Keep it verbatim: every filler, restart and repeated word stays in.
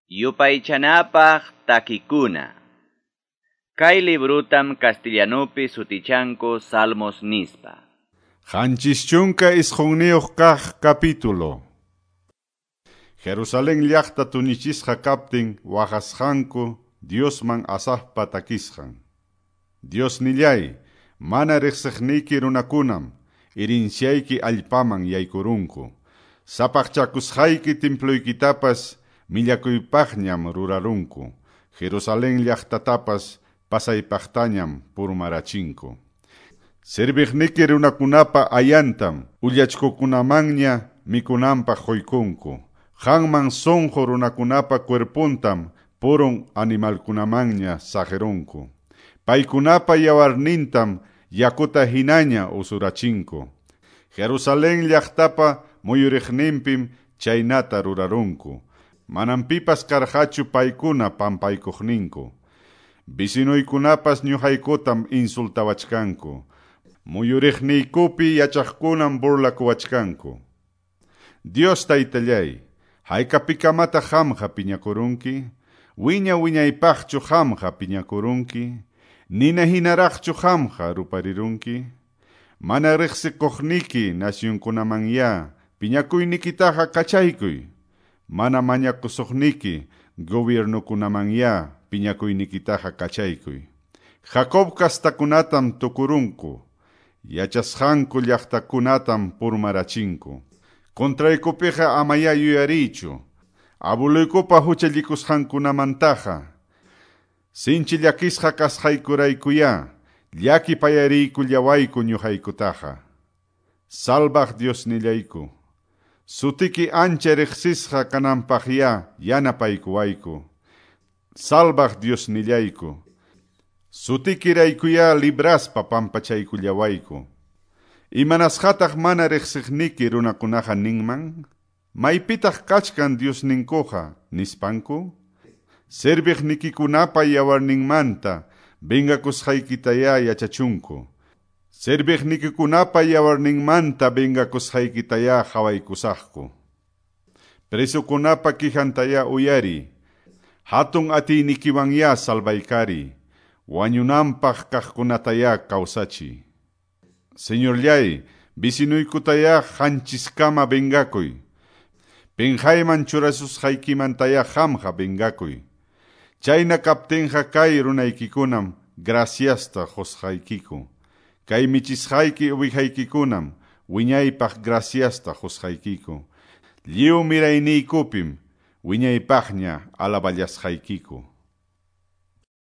Yupaychanapaq takikuna. Kay librutam castellanupi sutichanku Salmos nispa. Qanchis chunka isqunniyuq kaq capítulo. Jerusalén llaqta tuñichisqa kaptin waqasqanku Diosman Asafpa takisqan. Diosnillay, mana riqsiqniyki runakunam irinsyayki allpaman yaykurunku. Sapaqchakusqayki temploykitapas millakuypaqñam rurarunku. Jerusalén llaqtatapas pasaypaqtañam purmarachinku. Serviqniki runakunapa ayantam ullachkukunamanña mikunanpaq quykunku. Qanman sunqu runakunapa cuerpuntam purun animalkunamanña saqirunku. Paykunapa yawarnintam yakuta hinaña usurachinku. Jerusalén llaqtapa muyuriqninpim chaynata rurarunku. Manam pipas karqachu paykuna pampaykuqninku. Vecinoykunapas ñuqaykutam insultawachkanku. Muyuriqniykupi yachaqkunam burlakuwachkanku. Dios taytallay, haykapikamataq qamqa piñakurunki? Wiña wiñaypaqchu qamqa piñakurunki? Nina hinaraqchu qamqa ruparirunki? Mana riqsikuqniki nacionkunamanyá piñakuynikitaqa kachaykuy. Mana mañakusuqniki gobiernokunamanyá piñakuynikitaqa kachaykuy. Jacob kastakunatam tukurunku, yachasqanku llaqtakunatam purmarachinku. Contraykupiqa amayá yuyariychu, abuluykupa huchallikusqankunamantaqa. Sinchi llakisqa kasqaykuraykuyá, llakipayariykullawayku ñuqaykutaqa. Salvaq Diosnillayku, sutiki ancha riqsisqa kananpaqyá yanapaykuwayku. Salvaq Diosnillayku, sutikiraykuyá libraspa pampachaykullawayku. Imanasqataq mana riqsiqniki runakunaqa ninman? Maypitaq kachkan Diosninkuqa nispanku? Serviqnikikunapa yawarninmanta vengakusqaykitayá yachachunku. Serviqnikikunapa yawarninmanta vengakusqaykitayá qhawaykusaqku. Presokunapa quejantayá uyariy. Hatun atiynikiwanyá salvaykariy. Wañunanpaq kaqkunatayá kawsachiy. Señorllay, vecinoykutayá qanchiskama vengakuy. Penqayman churasusqaykimantayá qamqa vengakuy. Chayna kaptinqa kay runaykikunam graciasta qusqaykiku. Kay michisqayki uwihaykikunam wiñaypaq graciasta qusqaykiku. Lliw mirayniykupim wiñaypaqña alaballasqaykiku.